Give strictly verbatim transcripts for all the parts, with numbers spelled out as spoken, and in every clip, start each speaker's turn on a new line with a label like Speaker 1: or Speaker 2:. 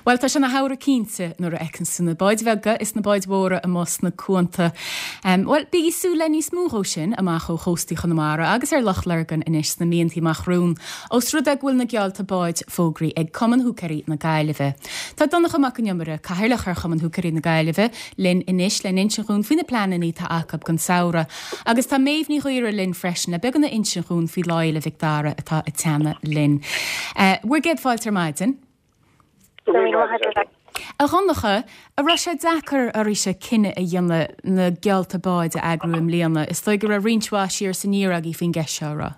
Speaker 1: Bhuel, tá sé ina shamhradh cinnte nuair a fheiceann tú na báid bheaga is na báid mhóra amuigh sna cuanta. Um, Bhuel, bígí ag súil le níos mó dhó sin amach ó chóstaí Chonamara agus ar Loch Lurgan anois sna míontaí amach romhainn. Ós rud é go bhfuil na geallta báid fógraithe ag Cumann Húicéirí na Gaillimhe. Tá Donncha Mac an Iomaire, cathaoirleach ar Chumann Húicéirí na Gaillimhe, linn anois le n-insint dhúinn faoi na pleananna atá acu don samhradh. Agus tá Méabh Ní Ghaora linn freisin le beagán a insint dhúinn faoi Lá Fhéile Mhic Dara atá ag teannadh linn. Uh, bhur gcéad fáilte ar maidin. A Dhonncha, an raibh sé deacair oraibhse cinneadh a dhéanamh na geallta báid a eagrú i mbliana, is dóigh go raibh roinnt mhaith siar is aniar agaibh faoin gceist seo ra.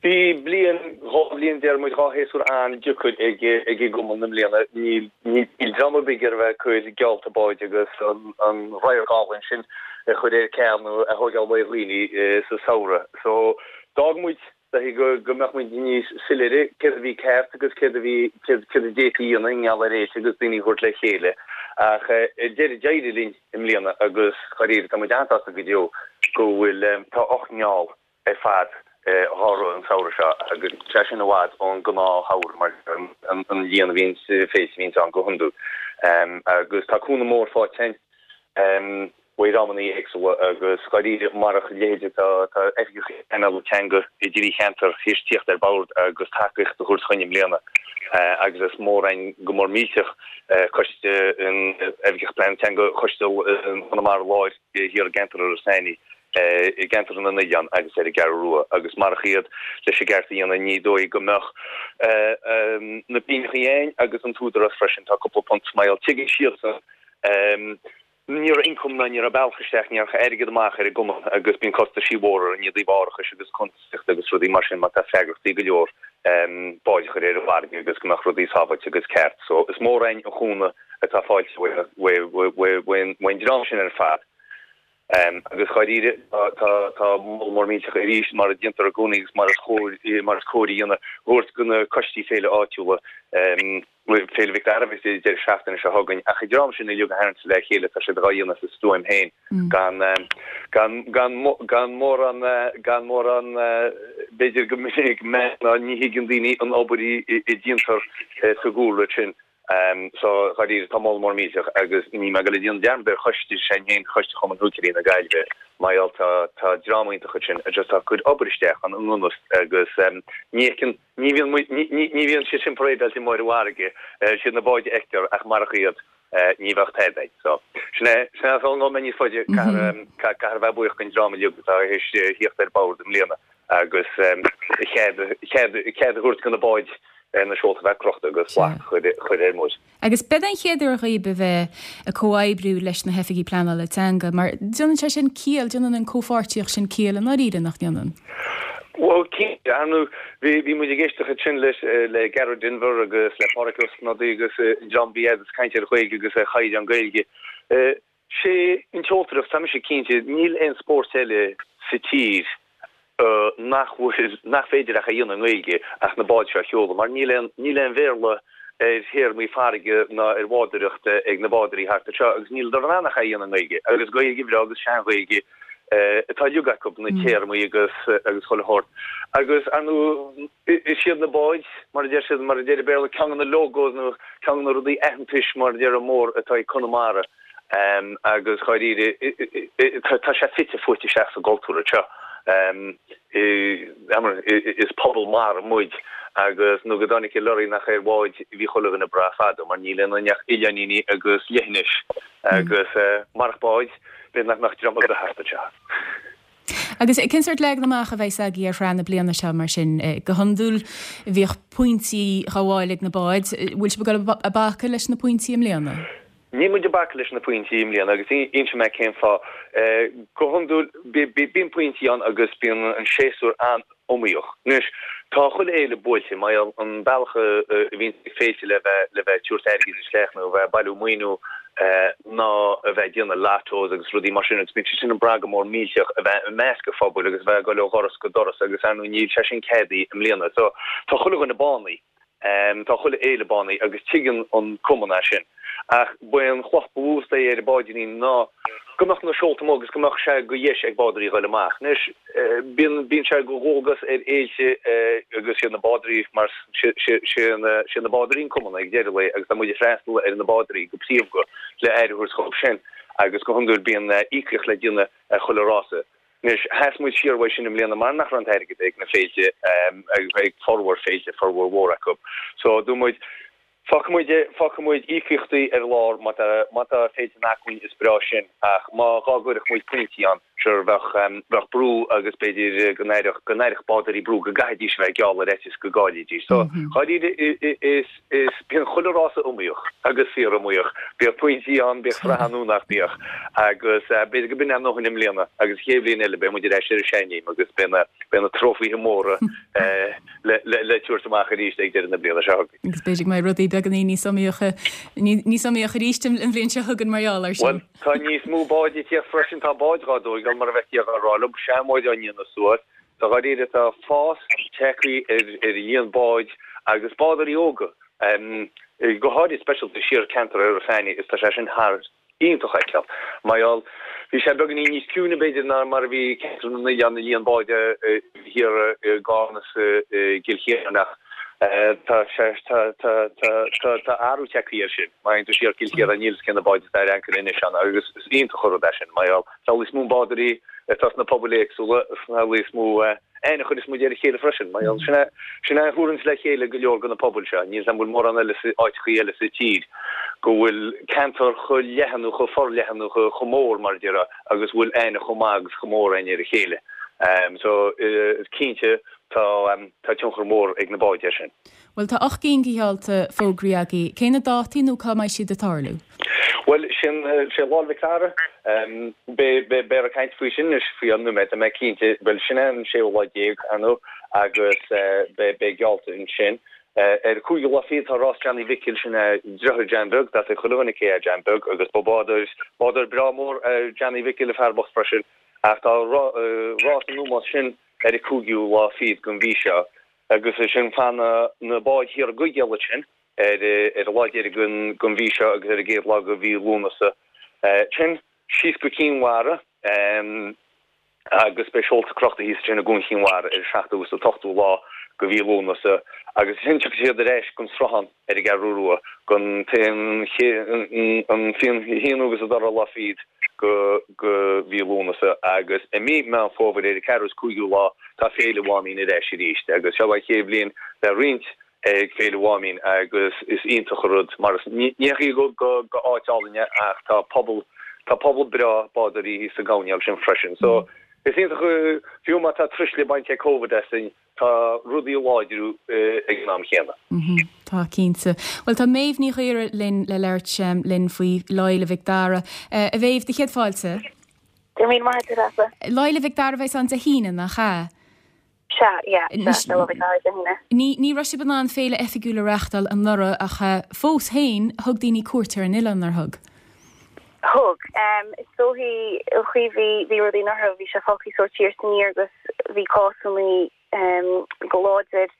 Speaker 2: Bhí bliain dhá bhliain deir muid dhá shéasúr an-deacair ag ag an gcumann i mbliana níl níl dream ar bith ag iarraidh bheith ag cur geallta báid agus an an radharc álainn sin a chur ar ceal nó a thógáil ó dhaoine sa samhradh. So d'fhág muid go go mbeadh muid níos soiléire céard a bhí ceart agus céard a bhí céard a d'fhéadfaí a dhéanamh i ngeall ar fhéilte agus daoine a thabhairt le chéile. Ach deireadh d'éirigh linn i mbliana agus dáiríre tá muid an-sásta go deo go bhfuil tá ocht ngeall ar fad dhá rith an samhradh seo agus sé sin i bhfad ón ngnáthshamhradh mar an líon a bhíonn féilte a bhíonn ann go hiondúil. Agus tá cúnamh mór faighte againn ó dhreamanna éagsúla agus dáiríre marach a leithéid tá tá oifigeach pleanála teanga i dtrí cheantar théis tíocht ar bord agus tacaíocht a thabhairt chugainn i mbliana agus is mór againn go mór millteach coiste an oifigeach pleanála teanga choiste Chonamara Láir thiar i gceantar Iorras Aithnigh i gceantar na nOileán agus ar an gCeathrú Rua agus marach iad leis an gceart a dhéanamh ní dóigh go mbeadh na pingin againn agus an t-údarás freisin tá cúpla punt mar tuigeann siadsan ní raibh income ná ní raibh bealach isteach ní raibh airgead amach ar an gcumann agus bíonn costaisí mhóra i dtaobh árachais agus cuntasaíochta agus rudaí mar sin mar tá freagrachtaí go leor báid a chur ar an bhfarraige agus go mbeadh rudaí sábháilte agus ceart. So is mór againn an cúnamh atá faighte ón dream sin ar fad. Um, agus dáiríre tá tá moladh mór millteach arís mar a déantar i gcónaí agus mar is chóir mar is cóir a dhéanamh thabhairt go na coistí féile áitiúla um, Féile Mhic Dara is deireadh seachtaine seo chugainn ach an dream sin uilig a tharraingt le chéile tá siad á dhéanamh sa stuaim féin gan gan gan gan mórán gan mórán b'fhéidir go minic ná ní thuigeann daoine an obair a déantar sa gcúlra sin. Um, so dáiríre tá moladh mór millteach agus ní mé go le déanamh dearmad ar choiste sin féin choiste Chumann Húicéirí na Gaillimhe mar tá tá dream iontach sin a just tá cuid obair isteach an ionnas agus um, ní ní bhíonn ní bhíonn sé sin parádáilte mór bhfarraige siad na báid a fheictear ach marach iad ní bheadh tada. So sin sin an mé níos faide caithfidh bheith buíoch den dream uilig atá théis tíocht ar bord i mbliana agus cead cead cead a thabhairt go na báid na seolta bheith crochta agus chur ar muid.
Speaker 1: Agus b'é an chéad uair dhaoibh a bheith ag comhoibriú leis na hoifigigh pleanála teanga, mar déanann sé sin ciall déanann an chomhpháirtíocht sin ciall an dáiríre nach ndéanann.
Speaker 2: Well anu bhí bhí muid ag éisteacht sin leis le Gearóid Denvir agus le Pádraig Ó Snodaigh agus John B agus caint ar Ghaeilge agus ar chaighdeán Gaeilge. Sé an tseoltóireacht tá sé cinnte níl aon spórt eile sa tír nach bhfuil nach féidir ach a dhéanamh i nGaeilge ach na báid seo a sheoladh, mar níl aon níl aon Bhéarla ar théarmaí farraige ná ar bhádóireacht ag na bádóirí thart seo agus níl dar an ach a dhéanamh i nGaeilge agus Gaeilge bhreá agus sean-Ghaeilge atá uilig acu na téarmaí agus agus chuile shórt. Agus anu is iad na báid mar a deir siad mar a deir Béarla ceann na logos nó ceann na rudaí aitheantais mar a deir mór atá ag Conamara. Um, agus dáiríre tá sé fite fuaite isteach sa gcultúr seo. Um, is pobal mara muid agus nó go dtáinig an lorry nach ar bháid bhí chuile dhuine breá fada mar níl ann ach oileáiníní agus leithinis agus uh, marach báid b'fhéidir nach mbeadh dream ar bith thart seo.
Speaker 1: Agus cén sórt leagan amach a bheidh agaibh ar feadh na bliana seo mar sin go hiondúil bhíodh pointí ag gabháil ag na báid, bhfuil sibh ag bacadh leis na pointí i mbliana?
Speaker 2: Níl muid ag bacadh leis na pointí i mbliana agus inseoidh mé cén fáth go hiondúil bíonn pointí ann agus bíonn an séasúr an-iomaíoch. Anois tá chuile fhéile buailte mar an bealach a bhíonn féilte le bheith le bheith tabhairt airgid isteach nó bheith bailiú maoiniú ná a bheith déanamh lottos agus rudaí mar sin agus bíonn sé sin an bragh mór millteach a bheith i measc an phobail agus bheith ag dul ó dhoras go doras agus ar ndóigh níl sé sin ceadaithe i mbliana. So tá chuile dhuine bánaithe. Um, tá chuile fhéile bánaithe agus tuigeann an cumann é sin. Ach ba é an chloch ba mhó ar an báidíní ná go mbeadh na seolta amuigh agus go mbeadh sé go dheis ag bádóirí dhul amach. Anois, bíonn bíonn sé go dhualgas ar fhéilte agus siad na bádóirí mar sé na bádóirí an cumann ag deireadh lae agus tá muid ag freastal ar na bádóirí go príomha le aire a thabhairt dhóibh sin agus go hiondúil bíonn íocaíocht le déanamh ar chuile rása. Anois, sheas muid siar uaidh sin i mbliana mar nach raibh an t-airgead ag na féilte, ag formhór féilte, formhór mhór acu. So, dúirt muid, fágfaidh muid, fágfaidh muid íocaíochtaí ar lár má tá, má tá féilte in acmhainn is breá sin ach má dhá gcuirfeadh muid pointí ann, sure, bheadh, bheadh brú agus b'fhéidir go n-aireodh, go n-aireodh bádóirí brú go gcaithfidís a bheith ag gealladh ar fhaitíos go gcaillfidís. So, dháiríre, is, Is bíonn chuile rása iomaíoch agus fíor-iomaíoch. Bíodh pointí ann, bíodh sraith ann nó nach mbíodh. Agus b'fhéidir go b'in ár ndóthain i mbliana agus an chéad bhliain eile beidh muid ar ais ar an seanchéim agus beidh na beidh na trófaithe móra le le tabhairt amach arís ag deireadh na bliana seo chugainn.
Speaker 1: Agus b'fhéidir go mbeidh rudaí beagáinín níos iomaíocha níos iomaíoch arís an bhliain seo chugainn mar gheall air sin.
Speaker 2: Bhuel, tá níos mó báid ag tíocht freisin, tá báid dhá dtóigeáil mar a bheifí ag rá liom, seanbháid á ndéanamh suas. So dháiríre tá fás tagtha ar ar an líon báid agus bádóirí óga, go háirid speisialta siar ceantar Iorras Aithnigh is tá sé sin thar iontach a fheiceáil. Mar gheall, bhí sé beagáinín níos ciúine b'fhéidir ná mar a bhí ceantar na n-oileán an líon báid thiar i gCarna is i gCill Chiaráin ach tá sé tá tá tá tá tá athrú tagtha air sin. Má théann tú siar Cill Chiaráin níl fhios cé na báid atá ar ancaire anois ann agus is iontach an rud é sin mar gheall tá níos mó bádóirí atá sna pobail éagsúla sna níos mó aithne a chuireas muid ar a chéile freisin. Mar gheall, sin é sin é a thabharanns le chéile go leor de na pobail seo. Níl 's a'm bhfuil mórán eile sa áiteachaí eile sa tír go bhfuil ceantar chomh leathan nó chomh forleathan nó chomh mór mar a déarfá agus bhfuil aithne chomh maith agus chomh mór againn ar a chéile. So is cinnte tá tá tionchar mór ag na báid air sin.
Speaker 1: Bhuel, tá ocht gcinn de sheolta fógraithe agaibh. Cé na dátaí nó cá mbeidh siad ag tarlú?
Speaker 2: Bhuel, sin sé Lá 'le Mhic Dara. Beifear ag caint faoi sin anois faoi an nóiméad, tá mé cinnte. Bhuel, sin é an séú lá déag, ar ndóigh, agus beidh geallta ansin. Ar an cúigiú lá fichead tá Rás Johnny Mhicil, sin é deartháir John Beag, tá a fhios ag chuile dhuine cé é John Beag, agus ba bádóir, bádóir breá mór é Johnny Mhicil, an fear bocht freisin. Ach tá rás an ómóis sin ar an cúigiú lá fichead den mhí seo. Agus ansin fanfaidh na báid thiar i gCoigéal ansin ar ar an lá deiridh den mhí seo agus ar an gcéad lá de mhí Lúnasa. Ansin síos go Cinn Mhara agus beidh seolta crochta thíos ansin i gCuan Chinn Mhara ar an seachtú agus an t-ochtú lá de mhí Lúnasa agus ansin tiocfaidh siad ar ais gon Sruthán ar an gCeathrú Rua gon an haonú agus an dara lá fichead go go mhí Lúnasa agus i mí Meán Fómhair ar an ceathrú is cúigiú lá tá Féile Mháimín ar ais arís agus seo an chéad bhliain le roinnt ag Féile Mháimín agus is iontach an rud mar is ní hé go go go áit álainn é ach tá pobal tá pobal breá bádóirí thíos sa gcoirnéal sin freisin so is iontach fiú má tá truisle bainte ag Covid asainn tá rudaí ag láidriú ag an am chéanna.
Speaker 1: Tá, cinnte. Bhuel, tá Méabh Ní Ghaora linn le labhairt linn faoi Lá Fhéile Mhic Dara. A Mhéabh, do chéad fáilte.
Speaker 3: Go raibh míle maith agat, a Treasa.
Speaker 1: Lá Fhéile Mhic Dara a bheas ann Dé hAoine, nach ea?
Speaker 3: Sea, yeah, sea, Lá Fhéile Mhic Dara Dé hAoine.
Speaker 1: Ní, ní raibh sibh in ann féile oifigiúil a reáchtáil anuraidh ach fós féin, thug daoine cuairt ar an oileán, nár thug?
Speaker 3: Thug. Is dóichí an chaoi bhí, bhí rudaí anuraidh, bhí sé fágtha sórt siar is aniar agus bhí cásannaí go láidir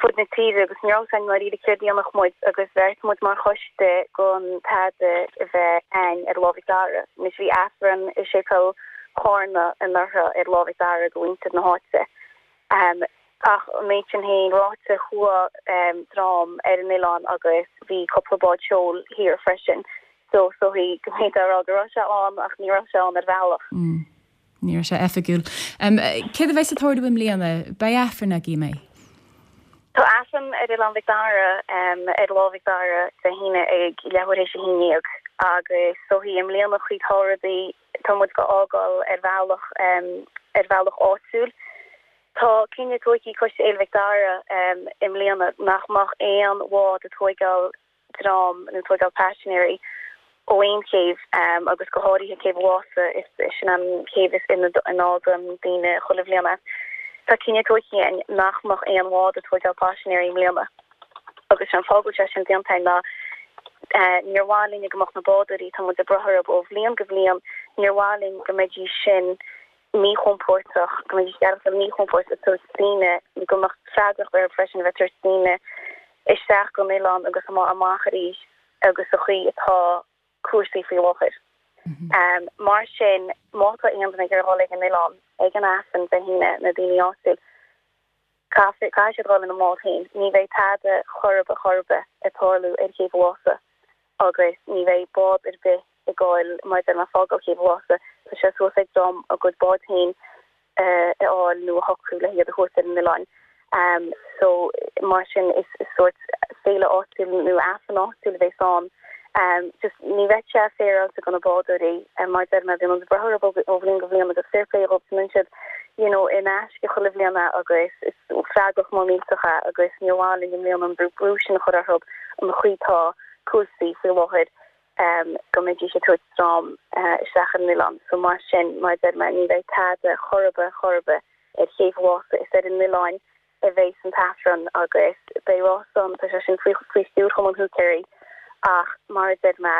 Speaker 3: fud na tíre agus ní raibh a fhios againn dáiríre céard a dhéanfadh muid agus bheartaigh muid mar choiste gan tada a bheith a'inn ar Lá Mhic Dara. Anois bhí Aifreann i Séipéal Chárna anuraidh ar Lá Mhic Dara do mhuintir na háite. Ach an méid sin féin ráite chuaigh dream ar an oileán agus bhí cúpla bád seoil thiar freisin so is dóichí go mb'fhéidir a rá go raibh sé ann ach ní raibh sé ann ar bhealach.
Speaker 1: Ní raibh sé oifigiúil. Céard a bheas ag tarlú i mbliana? Beidh Aifreann agaibh, an mbeidh?
Speaker 3: Tá Aifreann ar Oileán Mhic Dara ar Lá Mhic Dara Dé hAoine ag leathuair théis a haon déag agus is dóichí i mbliana chaoi tá rudaí tá muid go fhágáil ar bhealach ar bhealach áitiúil. Tá cinneadh tóigthe ag Coiste Fhéile Mhic Dara i mbliana nach mbeadh aon bhád ag tóigeáil dream nó tóigeáil paisinéirí ó aon chéibh agus go háirithe céibh an Mhása, is sin an chéibh is ina fhágann daoine chuile bhliain é. Tá cinneadh tóigthe againn nach mbeadh aon bhád ag tóigeáil paisinéirí i mbliana agus sé an fáth go bhfuil sé sin déanta againn ná níor mhaith linne go mbeadh na bádóirí, tá muid ag brath orthu ó bhliain go bliain, níor mhaith linn go mbeidís sin míchompordach, go mbeidís ag aireachtáil míchompordach ag tabhairt daoine, go mbeadh freagracht orthu freisin a bheith ag tabhairt daoine isteach gon oileán agus amach arís. agus sa chaoi atá cúrsaí faoi láthair. Um, mar sin má tá aon duine ag dul ag an oileán ag an Aifreann Dé hAoine na daoine áitiúil caithfidh siad dul ina mbád féin. Ní bheidh tada chor ar bith chor ar bith ag tarlú ar Chéibh an Mhása agus ní bheidh bád ar bith ag goil mar deir mé fágáil Céibh an Mhása tá sé suas ag dream a gcuid bád féin eh, a fháil nó a shocrú le hiad a thabhairt ar an oileán. Um, so mar sin is, is sort féile áitiúil nó Aifreann áitiúil a bheas ann. Um, just ní bheadh sé féaráilte do na bádóirí um, mar deir mé bíonn brú ó bhliain go bliain agus fair play dóibh siad you know, in aisce chuile bhliain agus is freagracht mór millteach é agus ní amháin i mbliana an brú brú sin a chur orthu an chaoi atá cúrsaí faoi láthair um, go mbeidís ag tabhairt dream uh, isteach an oileán. So mar sin mar deir mé ní bheidh tada chor ar bith chor ar bith ar Chéibh an Mhása is ar an oileán a bheas an t-aifreann agus beidh rás ann tá sé sin faoi faoi stiúir Chumann Húicéirí ach mar deir mé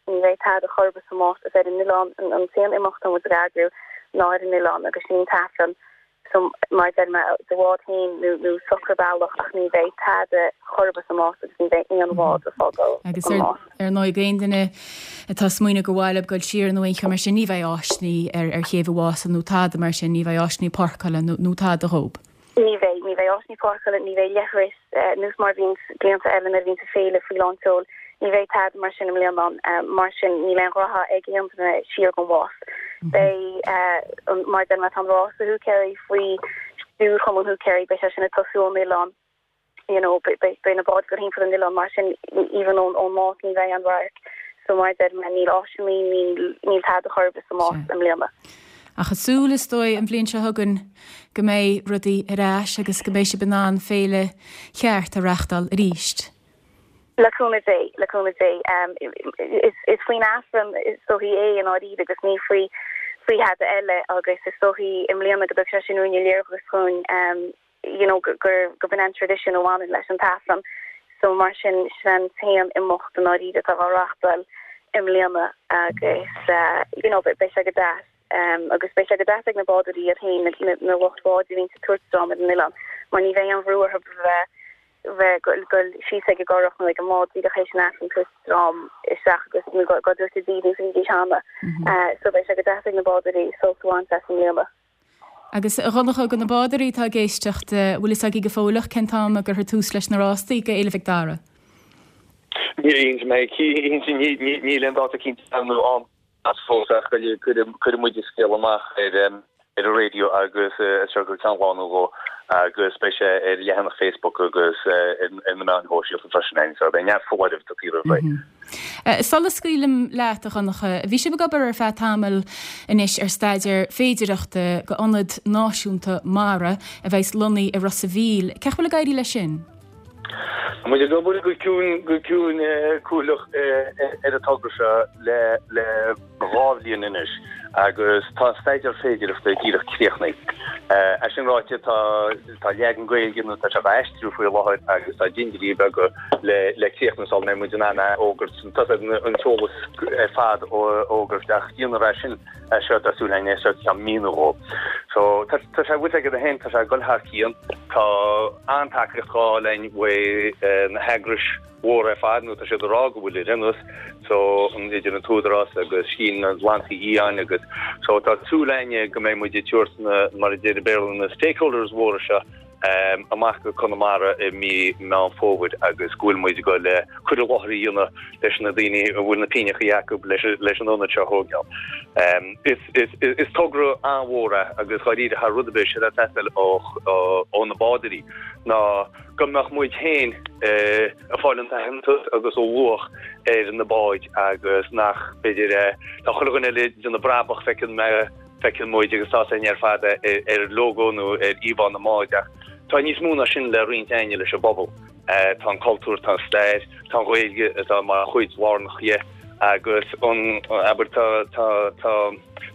Speaker 3: ní bheidh tada chor ar bith sa Más is ar an oileán an t-aon imeacht muid ag eagrú ná ar an oileán agus sin an t-aifreann so mar deir mé do bhád féin nó nó socraigh bealach ach ní bheidh tada chor ar bith sa Más agus ní bheidh aon bhád ag fágáil
Speaker 1: Agus ar ar ndóigh aon duine atá ag smaoineamh go bhfuil goil siar nó aon mar sin ní bheidh áiseanna ar ar Chéibh an Mhása nó tada mar sin ní bheidh áiseanna páirceála nó nó tada dhób.
Speaker 3: Ní bheidh ní bheidh áiseanna páirceála ní bheidh leithris nós mar bhíonn blianta eile nuair a bhíonn féile faoi lánseol ní bheidh tada mar sin i mbliana mar sin níl aon rogha ag aon duine siar gon Mhás. Beidh mar deir mé tá rás húicéirí faoi stiúir Chumann Húicéirí beidh sé sin ag tosú ón oileán you know beidh na báid go timpeall an oileán mar sin even ón ón Más ní bheidh an radharc so mar deir mé níl áiseanna níl níl tada chor ar bith sa Más i mbliana.
Speaker 1: Ach is súil is dóigh an bhliain seo chugainn go mbeidh rudaí ar ais agus go mbeidh sibh in ann féile cheart a reáchtáil arís.
Speaker 3: Le cúnamh Dé le cúnamh Dé um, is, is faoin Aifreann is dóichí é an áiríd agus ní faoi faoi thada eile agus is dóichí i mbliana go sé sin úne léirgus chun um, you know, gur go b'in an tradition a bhaineann leis an t-aifreann so mar sin sin t-aon imeacht an áiríd atá á reáchtáil i mbliana agus uh, you know, beidh sé go deas um, agus beidh sé go deas ag na bádóirí iad féin na, na lucht báid a bhíonn ag tabhairt dream ar an oileán mar ní bheidh an bhrú orthu bheith bheith goil síos ag an gcurach nó ag an mbád díreach théis an Aifreann tabhairt dream isteach agus nó go go dúirt daoine bhí cheana so beidh sé go deas ag na bádóirí sult a bhaint as i mbliana.
Speaker 1: Agus a Dhonncha do na bádóirí atá ag éisteacht bhfuil fhios agaibh go fóilleach cén t-am a gcuirfear tús leis na rástaí go Fhéile Mhic Dara.
Speaker 2: Ní mé níl an dáta cinnte nó an as fós ach cuirfidh muid scéal amach ar ar an raidió agus seo go ceann lá nó dhó agus beidh sé ar leathanach Facebook agus ar na meáin shóisialta freisin ein, so beidh neart foláireamh do taobh roimh
Speaker 1: ré. Sula scaoilim leat a Dhonncha, bhí sibh ag obair ar feadh tamaill anois ar staidéar féidireachta go ionad náisiúnta mara a bheas lonnaithe i Ros a' Mhíl. Cén chaoi bhfuil ag éirí leis sin?
Speaker 2: Muid ag obair go ciúin go ciúin cúthaileach ar an togra seo le le dhá bhliain anois agus tá staidéar féidireachta díreach críochnaithe. É sin ráite tá tá leagan Gaeilge nó tá sé á aistriú faoi láthair agus tá dintiúirí beaga le le críochnú sula mbeidh muid in ann a fhógairt tá an t-eolas ar fad a fhógairt ach déanamh sin seo tá súil againn seo ceann mí nó dhó. So tá sé bhfuil aige féin tá sé ag dul thar cionn tá an-tacaíocht á fháil againn ó na heagrais mhóra ar fad nó tá siad ag rá go bhfuil ar aon so an idir an tÚdarás agus Scéim na nGleannta Fiáine agus so tá súil againn go mbeidh muid ag tabhairt na mar a deir Béarla na stakeholders mhóra seo um, amach go Conamara i mí Meán Fómhair agus go bhfuil muid go le cur i láthair a dhéanamh leis na daoine a bhfuil na pingneacha acu leis leis an ionad seo a thógáil. Um, is, is, is, is togra an-mhór é agus dáiríre thar rud ar bith sé teastáil ó, ó, ó na bádóirí ná go mbeadh muid féin eh, ag fáil an t-aitheantas agus an luach ar na báid agus nach b'fhéidir eh, tá chuile dhuine eile ag déanamh brabach feiceann mé feiceann muid agus tá sé ar fad ar, ar logo nó ar íomhá na mbád ach tá níos mó ná sin le roinnt againne leis an bpobal. Uh, tá an cultúr tá an stair tá an Ghaeilge atá mar chuid lárnach dhe agus an aber tá tá tá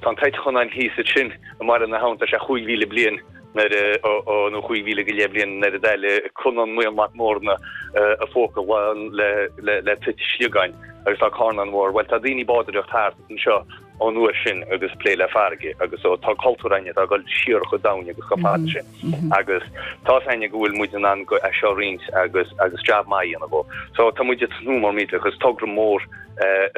Speaker 2: tá an t-eitleán thíos sin i mbarr na habhann tá sé chúig mhíle bliain nuair a nó chúig mhíle go leith bliain nuair a d'éalaigh Conán Maol Mac Mórna a phóca le le le toit sliogáin agus tá carnán mhór, Well tá daoine ag bádóireacht thart anseo ón uair sin agus plé le farraige agus so tá cultúr againne atá ag dul siar chomh domhain agus chomh fada sin agus tá's againne go bhfuil muid in ann é seo a roinnt agus agus jab maith a dhéanamh dhó. So tá muid ag tnúth mór millteach agus togra mór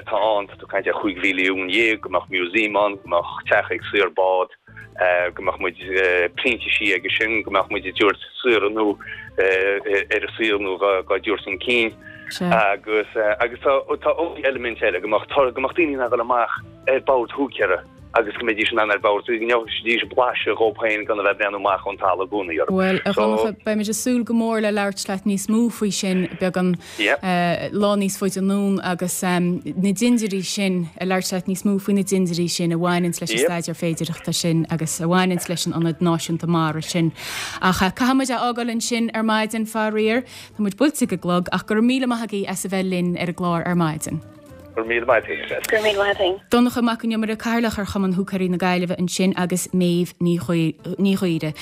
Speaker 2: atá ann, tá tú ag caint ar chúig mhilliún dhéag, go mbeadh museum ann, go mbeadh teach ag saor bád, go mbeadh muid printísí aige sin, go mbeadh muid ag tabhairt saoire nó ar a saol nó dhá dtabhairt chun cinn. Agus agus tá tá eilimint eile go mbeadh go mbeadh daoine in ann dul amach ar bord húicéara agus go mbeidís in ann ar bord go ngeobhaidís blaiseadh dhóibh féin gan a bheith ag breathnú amach ón talamh i gcónaí orthu.
Speaker 1: Bhuel, a Dhonncha, beimid ag súil go mór le labhairt leat níos mó faoi sin beagán lá níos faide anonn agus na dindiúirí sin, a labhairt leat níos mó faoi na dindiúirí sin a bhaineanns leis an staidéar féidearthachta sin agus a bhaineanns leis an Ionad Náisiúnta Mara sin. Ach caithfidh muid a fhágáil ansin ar maidin, faraor. Tá muid buailte ag an gclog, ach go raibh míle maith agaibh as a bheith linn ar an gclár ar maidin.
Speaker 2: Go raibh míle maith agat.
Speaker 3: Go raibh míle maith agat.
Speaker 1: Donncha Mac Con Iomaire, Cathaoirleach ar Chumann Húicéirí na Gaillimhe ansin agus Méabh Ní Ghaora.